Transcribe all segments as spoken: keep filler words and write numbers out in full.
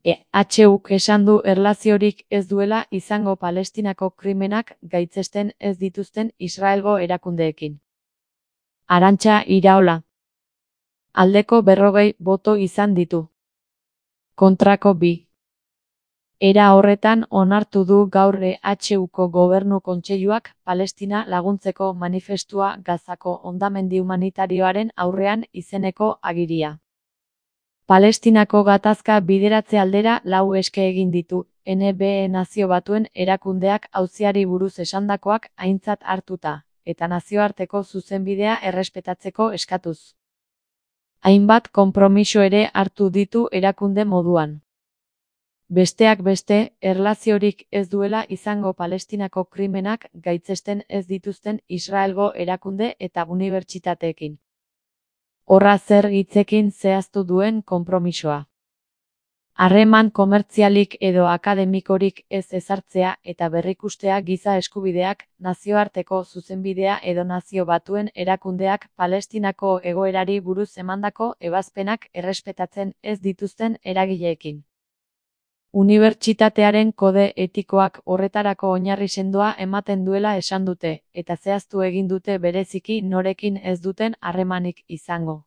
E H Uk esan du erlaziorik ez duela izango Palestinako krimenak gaitzesten ez dituzten Israelgo erakundeekin. Arantxa Iraola. Aldeko berrogei boto izan ditu. Kontrako bi. Era horretan onartu du gaur E H Uko Gobernu Kontseiluak Palestina laguntzeko manifestua Gazako hondamendi humanitarioaren aurrean izeneko agiria. Palestinako gatazka bideratze aldera lau eske egin ditu, N B E Nazio Batuen erakundeak auziari buruz esandakoak aintzat hartuta, eta nazioarteko zuzenbidea errespetatzeko eskatuz. Hainbat konpromiso ere hartu ditu erakunde moduan. Besteak beste, erlaziorik ez duela izango Palestinako krimenak gaitzesten ez dituzten Israelgo erakunde eta unibertsitateekin. Horra zer hitzekin zehaztu duen konpromisoa. Harreman komertzialik edo akademikorik ez ezartzea eta berrikustea giza eskubideak, nazioarteko zuzenbidea edo Nazio Batuen erakundeak Palestinako egoerari buruz emandako ebazpenak errespetatzen ez dituzten eragileekin. Unibertsitatearen kode etikoak horretarako oinarri sendoa ematen duela esan dute, eta zehaztu egin dute bereziki norekin ez duten harremanik izango.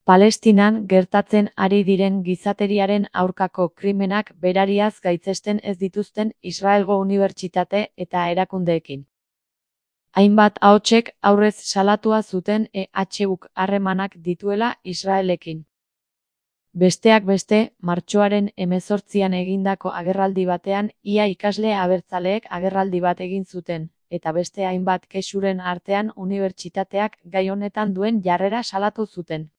Palestinan gertatzen ari diren gizateriaren aurkako krimenak berariaz gaitzesten ez dituzten Israelgo unibertsitate eta erakundeekin. Hainbat ahotsek aurrez salatua zuten E H Uk harremanak dituela Israelekin. Besteak beste, martxoaren hemezortzian egindako agerraldi batean ia ikasle abertzaleek agerraldi bat egin zuten, eta beste hainbat kexuren artean unibertsitateak gai honetan duen jarrera salatu zuten.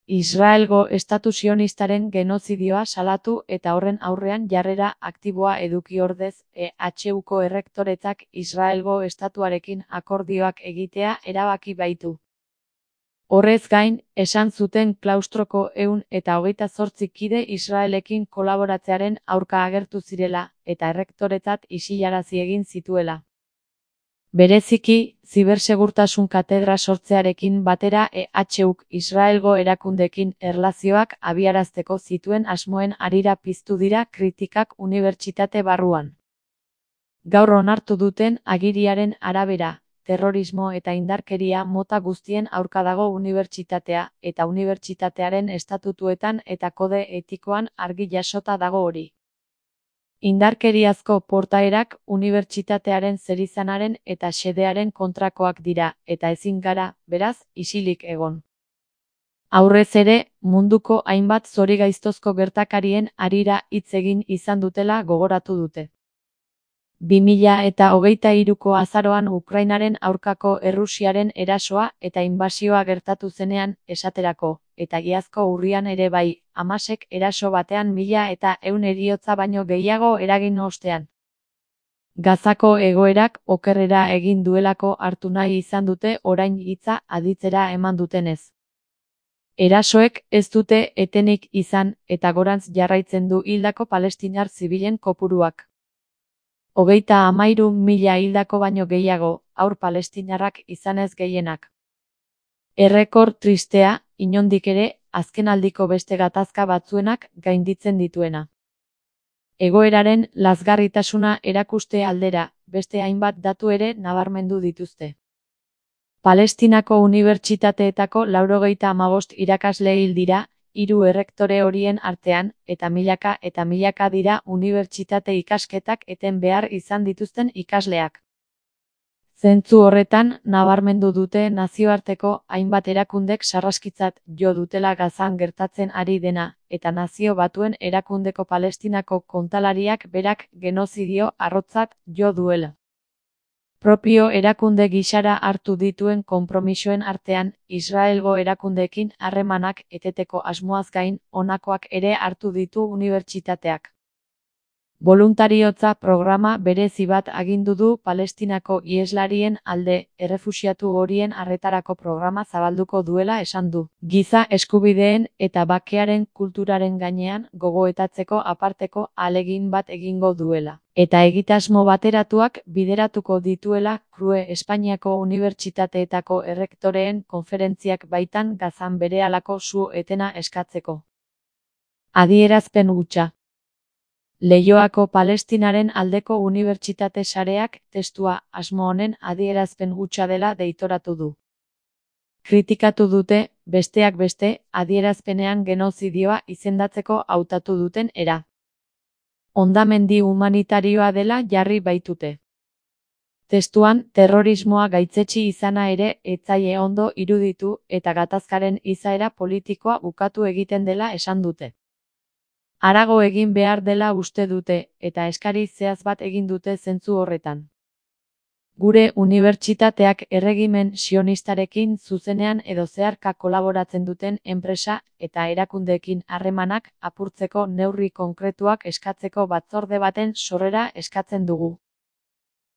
Israelgo estatu sionistaren genozidioa salatu eta horren aurrean jarrera aktiboa eduki ordez, E H Uko errektoretzak Israelgo estatuarekin akordioak egitea erabaki baitu. Horrez gain, esan zuten klaustroko ehun eta hogeita zortzi kide Israelekin kolaboratzearen aurka agertu zirela, eta errektoretzat isilarazi egin zituela. Bereziki, zibersegurtasun katedra sortzearekin batera E H Uk Israelgo erakundeekin erlazioak abiarazteko zituen asmoen harira piztu dira kritikak unibertsitate barruan. Gaur onartu duten agiriaren arabera, terrorismo eta indarkeria mota guztien aurka dago unibertsitatea, eta unibertsitatearen estatutuetan eta kode etikoan argi jasota dago hori. Indarkeriazko portaerak unibertsitatearen zerizanaren eta xedearen kontrakoak dira, eta ezin gara, beraz, isilik egon. Aurrez ere, munduko hainbat zorigaiztozko gertakarien harira hitz egin izan dutela gogoratu dute. bi mila eta hogeita hiruko azaroan Ukrainaren aurkako Errusiaren erasoa eta inbasioa gertatu zenean, esaterako, eta iazko urrian ere bai, Hamasek eraso batean mila eta ehun heriotza baino gehiago eragin ostean. Gazako egoerak okerrera egin duelako hartu nahi izan dute orain hitza aditzera eman dutenez. Erasoek ez dute etenik izan eta gorantz jarraitzen du hildako palestinar zibilen kopuruak. Hogeita hamairu mila hildako baino gehiago, haur palestinarrak izanez gehienak. Errekor tristea, inondik ere, azkenaldiko beste gatazka batzuenak gainditzen dituena. Egoeraren lazgarritasuna erakuste aldera, beste hainbat datu ere nabarmendu dituzte. Palestinako unibertsitateetako laurogeita hamabost irakasle hil dira, hiru errektore horien artean, eta milaka eta milaka dira unibertsitate ikasketak eten behar izan dituzten ikasleak. Zentzu horretan, nabarmendu dute nazioarteko hainbat erakundek sarraskitzat jo dutela Gazan gertatzen ari dena, eta Nazio Batuen erakundeko Palestinako kontalariak berak genozidio arrotzat jo duela. Propio erakunde gisara hartu dituen konpromisoen artean, Israelgo erakundeekin harremanak eteteko asmoaz gain, honakoak ere hartu ditu unibertsitateak. Boluntariotza programa berezi bat agindu du Palestinako iheslarien alde, errefuxiatu horien arretarako programa zabalduko duela esan du. Giza eskubideen eta bakearen kulturaren gainean gogoetatzeko aparteko ahalegin bat egingo duela. Eta egitasmo bateratuak bideratuko dituela Crue Espainiako unibertsitateetako errektoreen konferentziak baitan Gazan berehalako su etena eskatzeko. Adierazpen hutsa. Leioako Palestinaren aldeko unibertsitate sareak testua asmo honen adierazpen hutsa dela deitoratu du. Kritikatu dute, besteak beste, adierazpenean genozidioa izendatzeko hautatu duten era. Hondamendi humanitarioa dela jarri baitute. Testuan, terrorismoa gaitzetsi izana ere ez zaie ondo iruditu eta gatazkaren izaera politikoa bukatu egiten dela esan dute. Harago egin behar dela uste dute, eta eskari zehatz bat egin dute zentzu horretan. Gure unibertsitateak erregimen sionistarekin zuzenean edo zeharka kolaboratzen duten enpresa eta erakundeekin harremanak apurtzeko neurri konkretuak eskatzeko batzorde baten sorrera eskatzen dugu.